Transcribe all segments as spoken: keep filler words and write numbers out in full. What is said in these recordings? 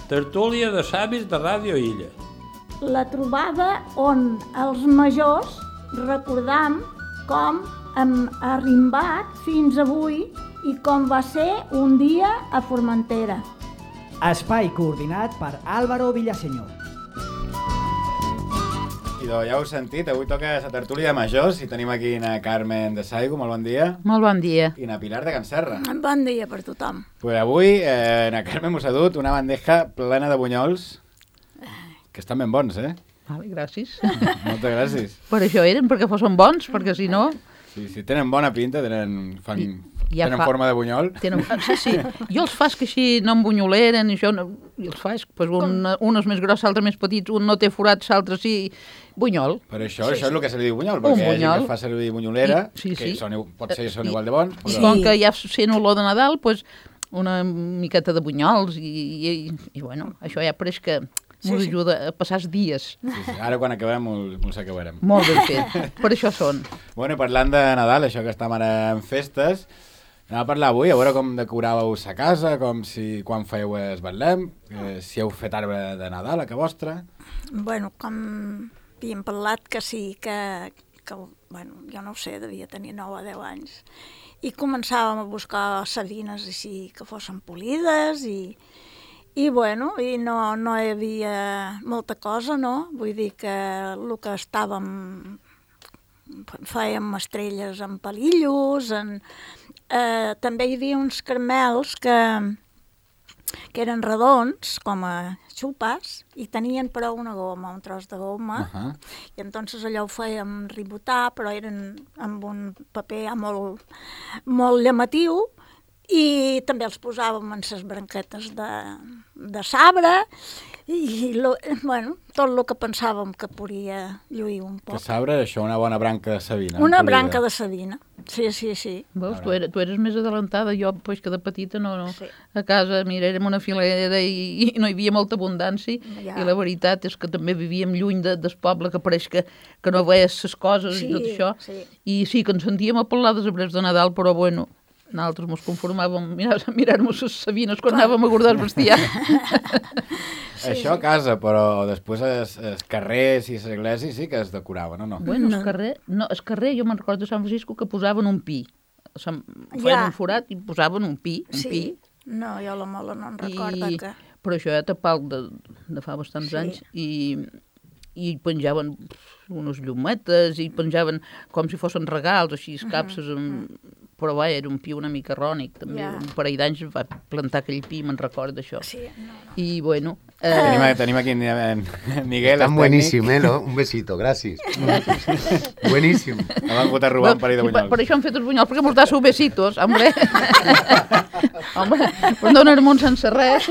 tertúlia de savis de Ràdio Illa. La trobada on els majors recordam com hem arrimbat fins avui i com va ser un dia a Formentera. Espai coordinat per Álvaro Villaseñor. Idò, ja heu sentit, avui toca la tertúlia de majors i tenim aquí na Carmen de Saigo, molt bon dia. Molt bon dia. I na Pilar de Can Serra. Bon dia per tothom. Pues avui eh, na Carmen mos ha dut una bandeja plena de bunyols, que estan ben bons, eh? Vale, gràcies. Moltes gràcies. Per això eren, perquè fossin bons, perquè si no... Sí, sí, tenen bona pinta, tenen, fan, ja tenen fa... forma de bunyol. Tenen... Sí, sí. Jo els faig que així no embonyoleren, i això no... I els faig, pues un, un és més gros, l'altre més petit, un no té forats, l'altre sí... Bunyol. Per això, sí, això és el que se li diu bunyol, un perquè hi ha bunyol. gent que fa servir bunyolera, I, sí, que sí. són, pot ser són I, igual de bons. I Però... com que ja sent olor de Nadal, pues, una miqueta de bunyols, i, i, i bueno, això ja pareix que... Sí, M'ho sí. ajuda a passar els dies. Sí, sí. Ara quan acabem ens acabarem. Molt ben fet. Per això són. Bueno, i parlant de Nadal, això que estem ara en festes, anem a parlar avui, a veure com decoràveu sa casa, com si quan fèieu es Betlem, eh, si heu fet arbre de Nadal a casa vostra. Bueno, com havíem parlat que sí, que, que bueno, jo no ho sé, devia tenir nou o deu anys. I començàvem a buscar sabines així que fossin polides i... I, bueno, i no, no hi havia molta cosa, no? Vull dir que el que estàvem... Fèiem estrelles en palillos, en, eh, també hi havia uns caramels que, que eren redons, com a xupes, i tenien però una goma, un tros de goma, Uh -huh. i entonces allò ho fèiem ribotar, però eren amb un paper ja molt, molt llamatiu, i també els posàvem en les branquetes de, de sabre i lo, bueno, tot el que pensàvem que podia lluir un poc. Que sabre, això, una bona branca de savina. Una polida. branca de savina, sí, sí, sí. Veus, tu, eres, tu eres més adelantada, jo, pues, que de petita no, no. Sí. A casa, mira, érem una filera i, i no hi havia molta abundància, Ja. i la veritat és que també vivíem lluny de, del poble, que pareix que, que no veies les coses Sí, i tot això, sí. i sí que ens sentíem a parlar dels arbres de Nadal, però bueno, nosaltres ens conformàvem a mirar- a mirar-nos les sabines quan anàvem a guardar el bestiar. Sí, això a casa, però després els, els carrers i les esglésies sí que es decoraven, o no? Bueno, No. el carrer, no, el carrer, jo me'n recordo de Sant Francisco que posaven un pi. Se'n feien Ja. un forat i posaven un pi, un Sí. pi. No, jo la mola no em recorda I, que... Però això ja tapal de, de fa bastants Sí. anys i, i penjaven unes llumetes i penjaven com si fossin regals, així, capses, amb... però va, era un pi una mica rònic, també. Ja. Un parell d'anys va plantar aquell pi, me'n recordo d'això. Sí, no, no. I, bueno... Tenim, Eh, tenim aquí en, en Miguel. Tan el buenísimo, ¿eh? ¿No? Un besito, gracias. Buenísimo. tècnic. Em van votar robar un parell de per, bunyols. per això hem fet els bunyols, perquè mos da sus besitos, hombre. Home, per donar-me un sense res.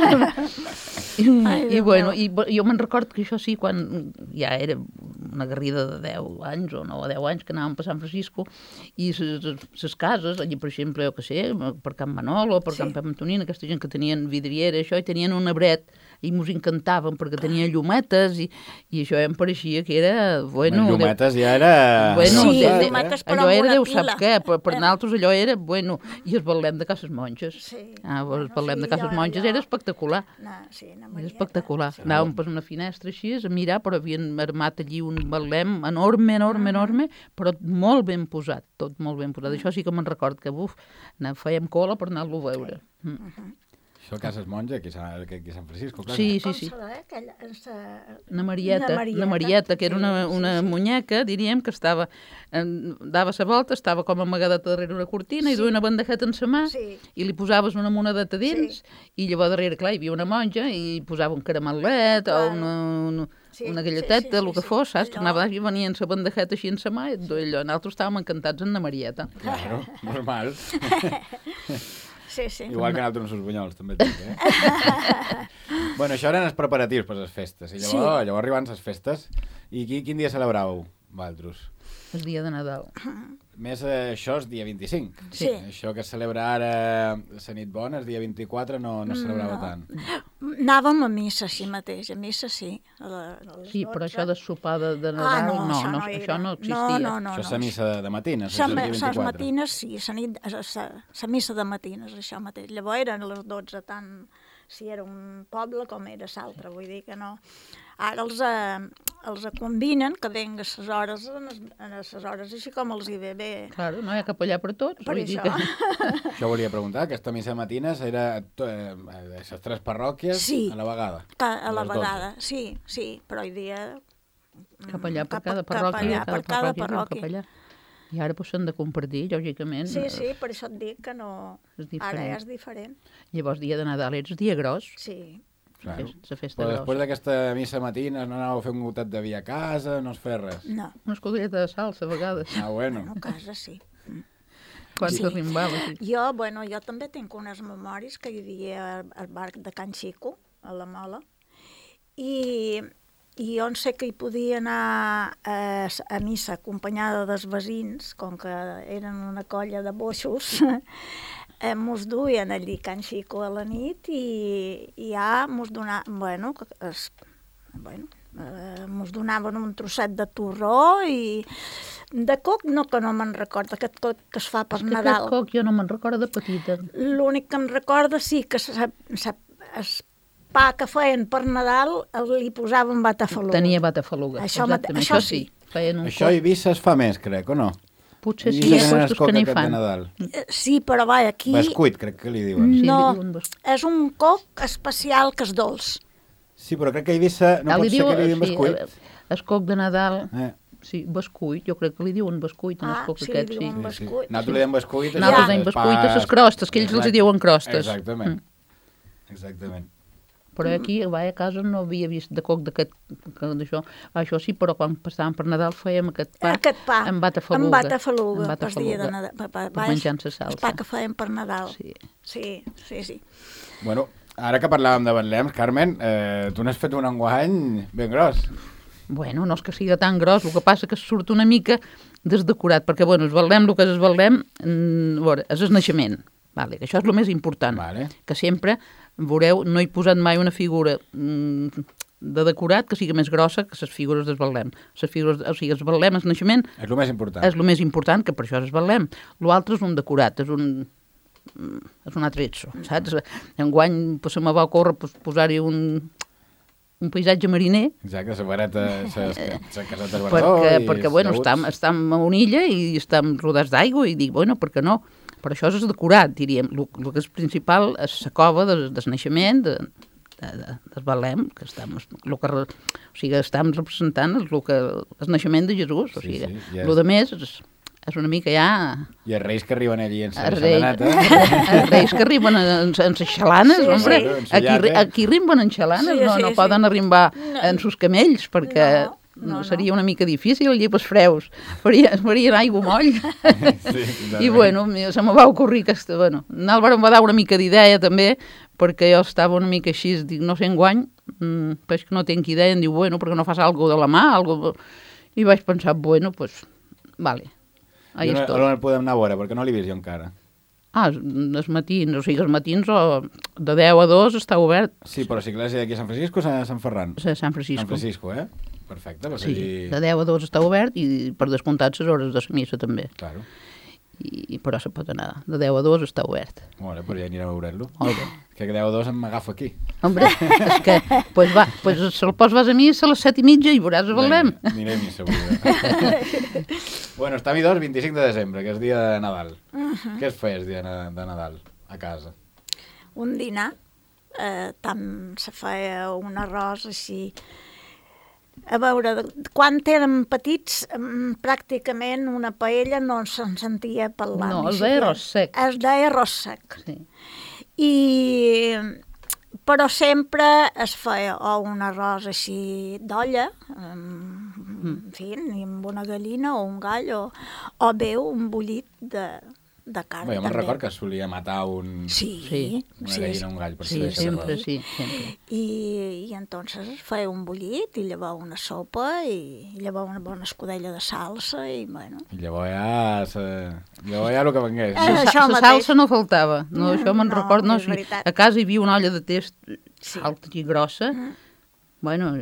I, Ai, i Déu bueno, meu. i bo- jo me'n recordo que això sí, quan ja era una garrida de deu anys o nou o deu anys que anàvem per Sant Francisco i les cases, allà per exemple, jo què sé, per Can Manolo, per Sí. Can Pep Antonina, aquesta gent que tenien vidriera, això, i tenien un arbret i mos encantaven perquè tenia llumetes i, i això ja em pareixia que era, bueno... Les llumetes ja era... Bueno, Sí, de, de, llumetes, però allò amb era, una Déu pila. sap què, per, per nosaltres allò era, bueno, i el Betlem de Cases Monges. Sí. Ah, el Bueno, Betlem sí, de Cases allò- Monges allò- era espectacular. No, sí, una Era Marieta. espectacular. Sí. Anàvem per una finestra així, a mirar, però havien armat allí un Betlem enorme, enorme, enorme, però molt ben posat, tot molt ben posat. Això sí que me'n record que, buf, anar- fèiem cola per anar-lo a veure. Mm. Això a Cases Monja, aquí, a- aquí a Sant Francisco, clar. Sí, sí, Com sí. serà, aquella... esa- Una Marieta, Una una Marieta. Marieta, que era Sí, una, sí, una sí. muñeca, diríem, que estava, eh, dava la volta, estava com amagadeta darrere una cortina i Sí. duia una bandejeta en sa mà Sí. i li posaves una monedeta dins i llavors darrere, clar, hi havia una monja i posava un caramelet Claro. o una, una, Sí, una sí, galleteta, sí, sí, el que sí. fos, saps? Allò- Tornava i venia amb la bandejeta així en sa mà i et duia allò. Nosaltres estàvem encantats en la Marieta. Claro, normal. Sí, sí. Igual que nosaltres amb els bunyols, també et dic, eh? Bueno, això eren els preparatius per les festes. I llavors, sí. llavors arriben les festes. I qui, quin dia celebrau, vosaltres? El dia de Nadal. Més eh, això és dia vint-i-cinc. Sí. Això que es celebra ara la nit bona, el dia vint-i-quatre, no, no es celebrava No. tant. Anàvem a missa així mateix, a missa sí. A la, a les Sí, però dotze. això de sopar de, de Ah, Nadal, no, no, això no, no, era. això no existia. No, no, no. això és no. la missa de, de matines, Sa, és el dia les vint-i-quatre. matines, sí, la, nit, la, la missa de matines, això mateix. Llavors eren les dotze tan, si era un poble com era l'altre, vull dir que no. Ara els, eh, els combinen, que venga a les hores, a les hores així com els hi ve bé. Claro, no hi ha capellà per tots. Per vull dir això. Que... Això volia preguntar, aquesta missa matines era to- eh, a les tres parròquies Sí. a la vegada? Que a la Les dotze. vegada, sí, sí, però hi havia... Capellà per Cap- cada parròquia, capellà per cada parròquia. Capellà. I ara pues, s'han de compartir, lògicament. Sí, sí, per això et dic que no... És Ara diferent. ja és diferent. Llavors, dia de Nadal ets dia gros, Sí. Claro. la festa Però després grossa. d'aquesta missa matina no anàveu a fer un gotet de vi a casa, no es feia res? No, Una escudelleta de salsa, a vegades, Ah, bueno. no, a casa sí. quan Sí. s'arrimbava. Sí. Jo, bueno, jo també tinc unes memòries que hi havia al, al bar de Can Xico, a la Mola, i, i jo en sé que hi podia anar a, a missa acompanyada dels veïns, com que eren una colla de boixos, eh, mos duien allí Can Xico a la nit i, i ja mos donaven, bueno, que es, bueno, eh, mos donaven un trosset de torró i de coc no, que no me'n recordo, aquest coc que es fa per És que Nadal. aquest coc jo no me'n recordo de petita. L'únic que em recorda sí que sa, sa, es pa que feien per Nadal el, li posaven batafaluga. Tenia batafaluga. Això mate- exactament, això això sí. Feien un Això a coc. Eivissa es fa més, crec, o no? Potser sí, Eivissa hi ha tenen puestos el coc que n'hi aquest de fan. Nadal. Eh, Sí, però va, aquí Bescuit, crec que li diuen. Sí, li no, diuen bes- és un coc especial que és dolç. Sí, però crec que a Eivissa no Ah, pot li ser diu- que li diguin sí, bescuit. eh, el coc de Nadal, Eh, sí, bescuit, jo crec que li diuen bescuit en Ah, el coc sí, aquest, li sí. diuen sí, sí. bescuit. Nosaltres li diem bescuit. això Nosaltres és diem bescuit a pas- les crostes, que ells els hi Exacte. diuen crostes. Exactament. Mm. Exactament. Però aquí, a a casa, no havia vist de coc d'aquest, que d'això. Això sí, però quan passàvem per Nadal fèiem aquest pa, Aquest pa, amb batafaluga. amb batafaluga, Amb per dia de batafaluga. Nadal. Pa, pa, Per va, menjar-se El salsa. pa que feien per Nadal. Sí. Sí, sí, sí. Bueno, ara que parlàvem de Betlems, Carmen, eh, tu n'has fet un enguany ben gros. Bueno, no és que sigui tan gros, el que passa que surt una mica desdecorat, perquè, bueno, es Betlem, el que és es Betlem, mm, a veure, és el naixement, vale, que això és el més important, Vale. que sempre, veureu, no he posat mai una figura mm, de decorat que sigui més grossa que les figures del Betlem. Les figures, o sigui, el Betlem, el naixement, És el més important. és el més important, que per això és Betlem. L'altre és un decorat, és un mm, és un altre etso, saps? Enguany pues, se me va ocórrer pues, posar-hi un, un paisatge mariner, Exacte, la vareta, les casetes perquè, Bardó i perquè bueno, llaüts. estem, estem a una illa i estem rodats d'aigua i dic, bueno, per què no? Però això és decorat, diríem. El, el que és principal és la cova del, del naixement, de, de, de, del Betlem, que estem, el que, re- o sigui, estem representant el, que, el naixement de Jesús. O Sí, sigui, sí, ja el és- de més és, és una mica ja... I els reis que arriben allí en la Els reis, xalaneta. els reis que arriben en, en les xalanes, Sí, hombre, sí. En aquí, llate. aquí rimben en xalanes, Sí, no, sí, no sí. poden arrimbar No. en sus camells, perquè No, no, no. seria una mica difícil, allí pels freus, faria, farien aigua moll. Sí, I bueno, mi- se me va ocorrir que, bueno, en Álvaro em va dar una mica d'idea també, perquè jo estava una mica així, dic, no sé enguany, mmm, però és que no tinc idea, em diu, bueno, perquè no fas algo de la mà, algo... I vaig pensar, bueno, pues, vale, ahí I on, estoy. on el podem anar a veure? Perquè no l'he vist jo encara. Ah, els matins, o sigui, els matins o de deu a dos està obert Sí, però si l'església d'aquí a Sant Francisco o a Sant Ferran? a Sant Francisco. Sant Francisco, eh? Perfecte, doncs Sí, allí... de deu a dos està obert i per descomptat les hores de la missa també. Claro. I, però se pot anar, de deu a dos està obert. Molt bé, però ja anirem a veure-lo. Molt bé. Que deu a dos em m'agafo aquí. Hombre, és que, pues va, pues se el pos vas a missa a les set i mitja i veuràs el Betlem. Vinga, Anirem i segura. Bueno, està a dos, vint-i-cinc de desembre, que és dia de Nadal. Uh -huh. Què es feia el dia de de Nadal a casa? Un dinar, eh, tant se feia un arròs així. A veure, de- quan érem petits, mm, pràcticament una paella no se'n sentia parlar. No, ni es deia siquiera. arròs sec. Es deia arròs sec. Sí. I, però sempre es feia o un arròs així d'olla, en, en fi, i amb una gallina o un gall, o, o bé un bullit de, de carn. Bé, jo me'n també. record que es solia matar un, Sí, Sí. una sí, gallina o un gall per Sí, fer sempre, arròs. sí, sempre. I, i entonces es feia un bullit i llavors una sopa i llavors una bona escudella de salsa i bueno... I llavors ja, se... llavors ja el que vengués. Eh, La, això la mateix. salsa no faltava, no, això me'n No, record, no, és sí, veritat. a casa hi havia una olla de test Sí. alta i grossa, bueno,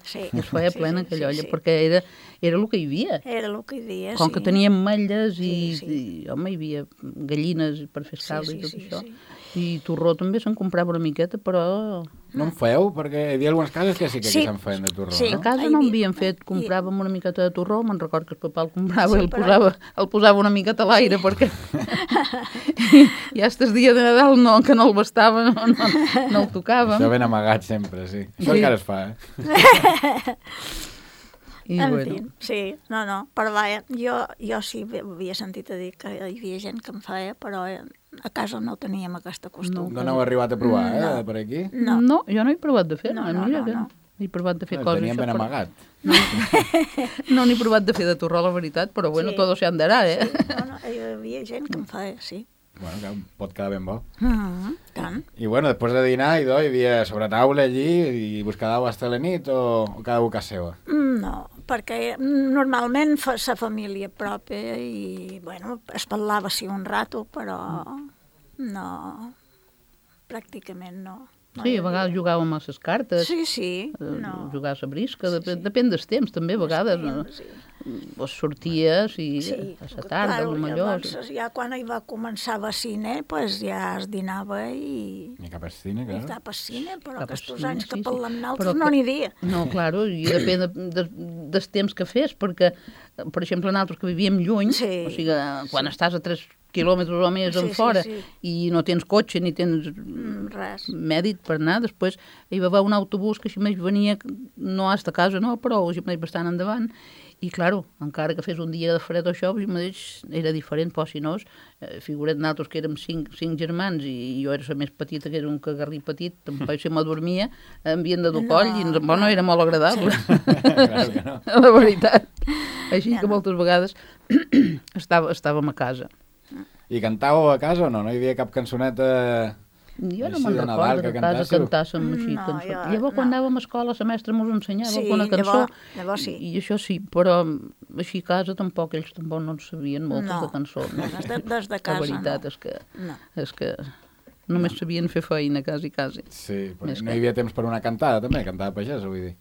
sí. Es feia sí, plena sí, aquella sí, olla, sí. perquè era, era el que hi havia. Era el que hi havia, Com sí. que teníem ametlles i, Sí, sí. i, home, hi havia gallines per fer Sí, escalda sí, i tot sí, això. sí. I torró també se'n comprava una miqueta, però No en feu? Perquè hi havia algunes cases que sí que Sí. aquí se'n feien de torró, Sí. a no? casa Hi no havia- havíem fet, compràvem una miqueta de torró, me'n record que el papà el comprava Sí, i el però- posava, el posava una miqueta a l'aire, perquè i ja estes dia de Nadal no, que no el bastava, no, no, no el tocàvem. Això ben amagat sempre, sí. Això Sí. encara es fa, eh? I, En bueno, fi, sí, no, no, però vaja, jo, jo sí havia sentit a dir que hi havia gent que en feia, però eh, a casa no teníem aquesta costum. No n'heu arribat a provar, eh, No. per aquí? No. no, jo no he provat de fer, No, no, no, mira no, que no. he provat de fer El coses. teníem ben però- amagat. No n'he provat de fer de torró, la veritat, però bueno, Sí. todo se andarà, eh? No, no, hi havia gent que en feia, sí. Bueno, que pot quedar ben bo. Mm, tant. I bueno, després de dinar, idò, hi havia sobretaula allí i vos quedàveu hasta la nit o, o cada un a casa seva? Mm, No, perquè normalment fa sa família pròpia i, bueno, es parlava sí un rato, però no, pràcticament no. no Sí, hi a havia. vegades jugàvem a les cartes, Sí, sí, eh, no. jugar a la brisca, Sí, depèn, sí. depèn dels temps també, a vegades. No? Sí, O sorties i sí. a la tarda, Claro, potser. llavors, ja quan hi va començar a cine, pues ja es dinava i... Ni cap al cine, I clar. cap a cine, però Cap a aquests cine, anys que sí, sí. parlem Però nosaltres que- no n'hi havia. No, claro, i depèn de, de, dels temps que fes, perquè, per exemple, nosaltres que vivíem lluny, Sí, o sigui, quan estàs a tres quilòmetres o més Sí, en sí, fora sí. i no tens cotxe ni tens Mm, res. mèdic per anar, després hi va haver un autobús que així més venia, no hasta casa, no, però així més bastant endavant, i, claro, encara que fes un dia de fred o això, així mateix era diferent, però si no, eh, figura't nosaltres que érem cinc, cinc germans i jo era la més petita, que era un cagarrí petit, tampoc se m'adormia, em havien de dur No, coll i bueno, era molt agradable, Claro que no. la veritat. Així Ja que no. moltes vegades estava, estàvem a casa. I cantàveu a casa o no? No hi havia cap cançoneta... Jo no Així me'n de Nadal recordo que que a casa cantássiu? cantàssim així No, cançons. jo- Llavors, quan no. anàvem a escola, la mestra ens ensenyava Sí, alguna cançó. llavors- llavors sí. I, I això sí, però així a casa tampoc, ells tampoc no en sabien moltes No, de cançons. no, des de- des de casa, La veritat no. és que, No. és que només sabien fer feina, quasi, quasi. Sí, Més perquè no que- hi havia temps per una cantada, també, cantada pagès, vull dir.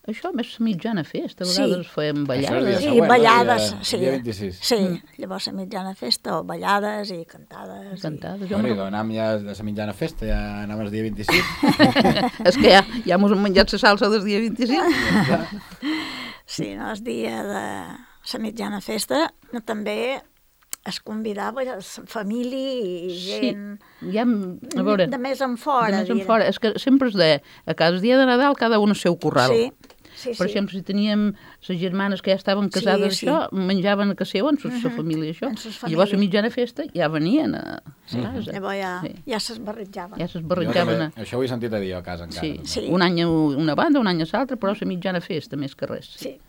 Això més la mitjana festa, a Sí. vegades fèiem Això és ballades. dia Sí, següent, no? ballades, Dia- sí. dia vint-i-sis. Sí, Mm. llavors a mitjana festa, o ballades i cantades. Cantades. Jo Bueno, me'n i anàvem ja de la mitjana festa, ja anàvem el dia vint-i-sis. És que ja, ja mos hem menjat la salsa del dia vint-i-cinc. Sí, no, el dia de la mitjana festa no, també es convidava la família i gent Sí, ja, a veure, de més en fora. de més en diguem. fora. És que sempre es deia, a cada dia de Nadal cada un al seu corral. Sí, sí, sí. Per exemple, si teníem les germanes que ja estaven casades, Sí, sí. això, menjaven a casa seu, en la família, això. En sos I llavors a famílies. mitjana festa ja venien a casa. Llavors ja, Sí. ja s'esbarrejaven. Ja Jo s'esbarrejaven. també, a- això ho he sentit a dir jo a casa encara. Sí, també. Sí. un any a una banda, un any a l'altra, però a la mitjana festa, més que res. Sí.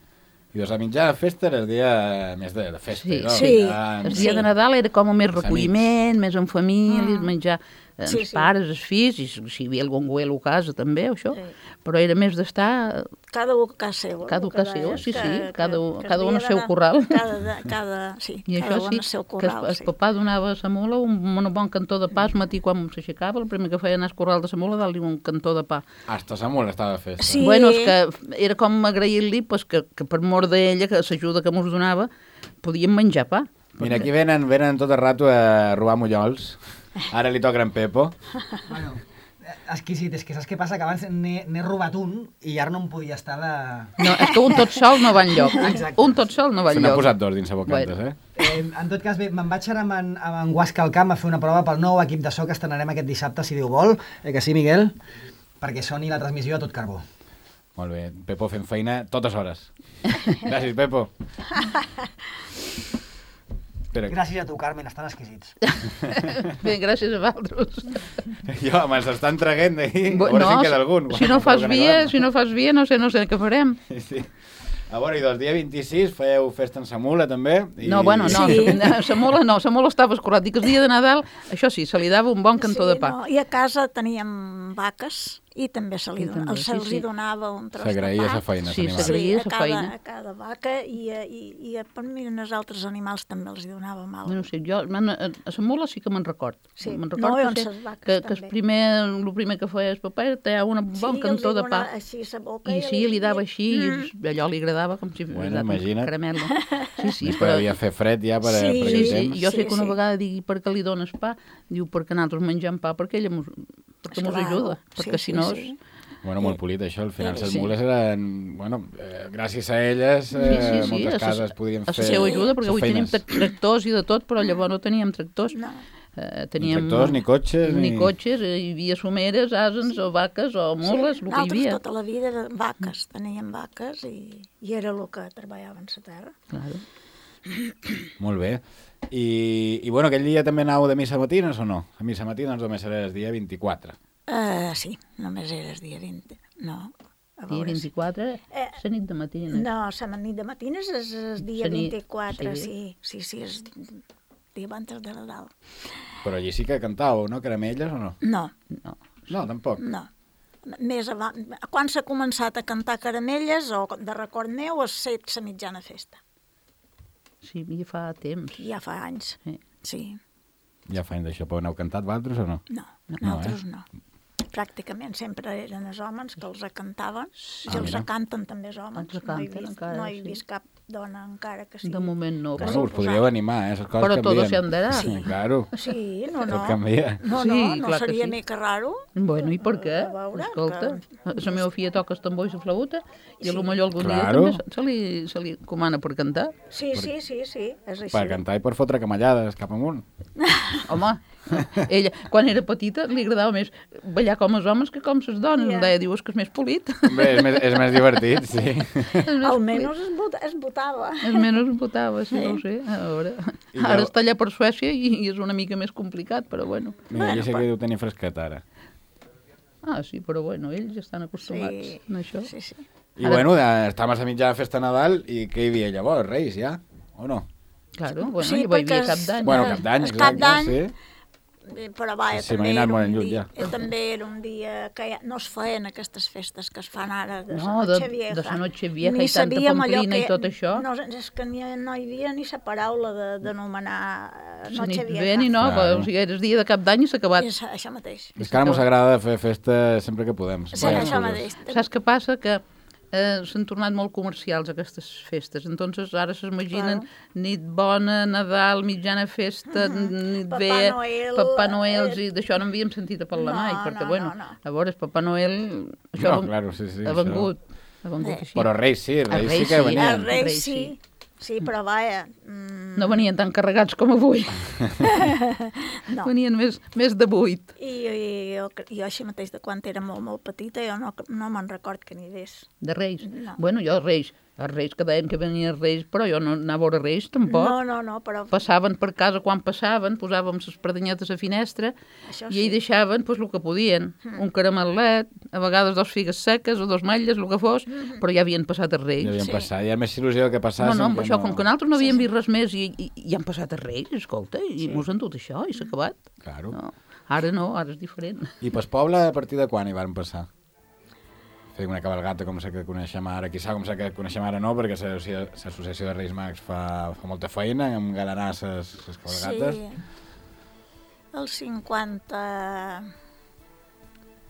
I doncs la mitjana festa era el dia més de, de festa, Sí. no? Sí. Ja, El Sí. dia de Nadal era com més amics. recolliment, més en famílies, Mm. menjar eh, Sí, els sí. pares, els fills, i si si hi havia algun güelo a casa també, o això, Sí. però era més d'estar Cada un a casa seva. Cada un a casa seva, sí, sí, cada un- cada un el al seu dia corral. de- Cada, de- cada, sí, I cada això un sí, al seu que corral. el, el sí. papà donava a la mula un, un bon cantó de pa al matí quan s'aixecava, el primer que feia anar al corral de la mula, dar-li un cantó de pa. Hasta Samuel estava de festa. Sí. Bueno, és que era com agrair-li pues, que, que per mort d'ella, que l'ajuda que mos donava, podíem menjar pa. Mira, aquí venen, venen tot el rato a robar mullols. Ara li toca en Pepo. Bueno, exquisit, és que saps què passa? Que abans n'he n'he robat un i ara no em podia estar de... No, és que un tot sol no va enlloc. Un, Exacte. un tot sol no va Se n'ha enlloc. posat dos dins la bocantes, Bueno. eh? Eh, en tot cas, bé, me'n vaig ara amb en, amb en Guasca al camp a fer una prova pel nou equip de so que estrenarem aquest dissabte, si Déu vol. Eh, que sí, Miguel? Perquè soni la transmissió a tot carbó. Molt bé, Pepo fent feina totes hores. Gràcies, Pepo. Espera, Gràcies a tu, Carmen, estan exquisits. Bé, gràcies a vosaltres. jo me'ls estan traguent d'ahir. A Bo- veure si en no, queda algun. si no fas via, si no fas via, no sé, no sé què farem. Sí. A veure, i doncs dia vint-i-sis fèieu festa en sa mula, també. I... No, bueno, no, Sí. sa mula no, sa mula estava escurat. Dic que el dia de Nadal, això sí, se li dava un bon cantó sí, de pa. No, i a casa teníem vaques i també se li I dona, també, se'ls sí, sí. donava un tros de S'agraïa pa. sa feina, Sí, s'animava. s'agraïa Sí, sa a cada, feina. a cada vaca i, a- i, i a, per mi als altres animals també els hi donava mal. No sé, jo man, a a la mula sí que me'n record. Sí. Me'n No, record i que, on sé, ses vaques que, que el també. primer, el primer que feia el papa era tallar una bon Sí, cantó els hi de pa. donava així sa boca I sí, li dava així, Mm. i allò li agradava com si Bueno, fos un imagina't. caramel. Sí, sí, Més que devia fer fred ja per, Sí, per Sí, aquell sí, temps. jo sé Sí, que una sí. vegada digui per què li dones pa, diu perquè nosaltres mengem pa perquè ella mos, perquè mos Esclar, ajuda, sí, perquè sí, si no... sí. Bueno, molt polit això, al final Sí. les mules eren, bueno, eh, gràcies a elles, eh, Sí, sí, sí, moltes a sa- cases podien a fer la seva ajuda, perquè ses avui tenim feines. tractors i de tot, però llavors no teníem tractors. No. Eh, Ni teníem, tractors, ni cotxes, ni ni... cotxes, eh, hi havia someres, asens o vaques o mules, el que hi Nosaltres havia. tota la vida de vaques, teníem vaques i, i era el que treballaven la terra. Claro. Molt bé. I, I bueno, aquell dia també anàveu de missa matines o no? A missa matines només era el dia vint-i-quatre. Uh, sí, només era el dia vint. No, a Dia veure si- vint-i-quatre, Eh, la nit de matines. No, la nit de matines és el dia La nit, vint-i-quatre, sí. sí, sí, sí, és dia abans de Nadal. Però allí sí que cantàveu, no? Caramelles o no? No, No. No, tampoc. no. Més avant, quan s'ha començat a cantar caramelles, o de record meu, és set la mitjana festa. Sí, ja fa temps. Ja fa anys, Sí. sí. Ja fa anys d'això, però n'heu cantat vosaltres o no? No, No, nosaltres eh? no. Pràcticament sempre eren els homes que els cantaven, i Ah, els mira. canten també els homes. Els no he canten vist, encara, no he sí. vist cap dona encara que sigui. De moment no. Que Bueno, us sí, podríeu animar, eh? Les coses Però canvien. todo se andarà. Sí, claro. Sí, no, no. Tot canvia. No, Sí, no, no clar que seria sí. mica raro. Bueno, i per què? A veure, Escolta, la meva filla toca el tambor i la flauta i a lo millor algun Claro. dia també se li, se li comana per cantar. Sí, sí, sí, sí, és així. Per cantar i per fotre camallades cap amunt. Home, ella, quan era petita, li agradava més ballar com els homes que com les dones. Ja. Em deia, diu, és que és més polit. Bé, és més, és més divertit, sí. Almenys es, vota, es votava. És menys votava, sí, no ho sé. A veure. I Ara llavors- està allà per Suècia i, i és una mica més complicat, però bueno. Mira, allà sí que deu tenir fresquet ara. Ah, sí, però bueno, ells ja estan acostumats Sí, a això. sí, sí. I bueno, de- estàvem a mitja festa de Nadal i què hi havia llavors? Reis, ja? O no? Claro, bueno, Sí, sí, hi va perquè haver cap és- d'any. Bueno, Eh, cap d'any, és Cap exacte, d'any. sí. Eh, Però vaja, Sí, també, m'he anat era molt un enlluny, dia, ja. eh, també era un dia que ja no es feien aquestes festes que es fan ara de No, la de- Noche Vieja. de la Noche Vieja Ni i tanta sabíem allò pamplina i que- tot això. No, és que ni, no hi havia ni la paraula de- d'anomenar eh, Sí, Noche ni Vieja. bé ni no, Claro. però, o sigui, era el dia de cap d'any i s'ha acabat. És això mateix. És que ara mos agrada fer festa sempre que podem. Sí, Sempre això coses. mateix. Saps què passa? Que eh, s'han tornat molt comercials aquestes festes. Entonces ara s'imaginen Claro. nit bona, Nadal, mitjana festa, nit Papà bé, Noel, Papà Noel, eh, i d'això no havíem sentit a parlar no, mai, perquè, no, bueno, no, no. a veure, Papà Noel, això No, ha- claro, sí, sí, ha això. vengut, ha vengut Eh. així. Però Reis sí, Reis, Reis sí que sí. venien. Els reis Reis, sí. sí. Sí, però vaja... Mm, No venien tan carregats com avui, no. venien més, més de vuit. I, i jo, jo així mateix, de quan era molt, molt petita, jo no, no me'n record que n'hi hagués. De Reis? No. Bueno, jo Reis, els Reis que deien que venien Reis, però jo no anava a veure Reis tampoc. No, no, no, però... Passaven per casa quan passaven, posàvem les perdanyetes a finestra Això i ell sí. deixaven pues, el que podien. Mm. Un caramelet, a vegades dos figues seques o dos matlles, el que fos, Mm-hmm. però ja havien passat els Reis. Ja havien Sí. passat, hi ha més il·lusió que No, passassin. no, amb que això, com que nosaltres no Sí, havíem sí. vist res més i, i, i han passat els Reis, escolta, i Sí. mos han dut això i s'ha acabat. Claro. No. Ara no, ara és diferent. I pel poble, a partir de quan hi van passar? Fer una cabalgata com la que coneixem ara, quizà com la que coneixem ara no, perquè l'Associació de Reis Mags fa, fa molta feina, amb galanar les cabalgates. Sí, el cinquanta...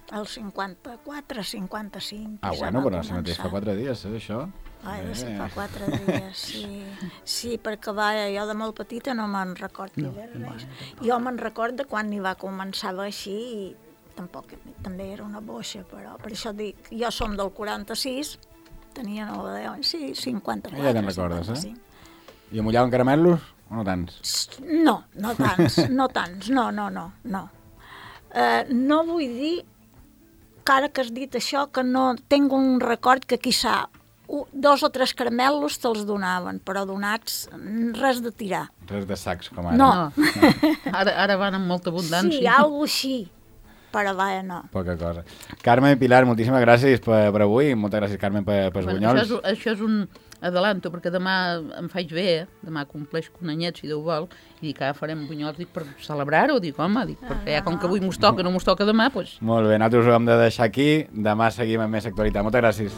El cinquanta-quatre, cinquanta-cinc... Ah, ja bueno, va però si mateix fa començar. quatre dies, eh, això? Ai, Eh. sí, fa quatre dies, sí. Sí, perquè vaja, jo de molt petita no me'n record no, res. Jo me'n record de quan n'hi va començar a haver així i tampoc, també era una boixa, però per això dic, jo som del quaranta-sis, tenia nou o deu anys, sí, cinquanta-quatre. Ja te'n recordes, eh? cinquanta-cinc. I amullaven caramelos o no tants? No, no tants, no tants, no, no, no, no. Uh, no vull dir, que ara que has dit això, que no tinc un record que quizà u- dos o tres caramelos te'ls donaven, però donats res de tirar. Res de sacs, com ara. No. No. Ara, ara van amb molta abundància. Sí, algo així. per allà no. Poca cosa. Carme i Pilar, moltíssimes gràcies per, per avui. Moltes gràcies, Carme, per, per els Bueno, bunyols. això, és, això és un adelanto, perquè demà em faig bé, eh? Demà compleix un anyet, si Déu vol, i dic, ah, farem bunyols, dic, per celebrar-ho, dic, home, dic, perquè ja com que avui mos toca, no mos toca demà, doncs... Molt bé, nosaltres ho hem de deixar aquí. Demà seguim amb més actualitat. Moltes gràcies.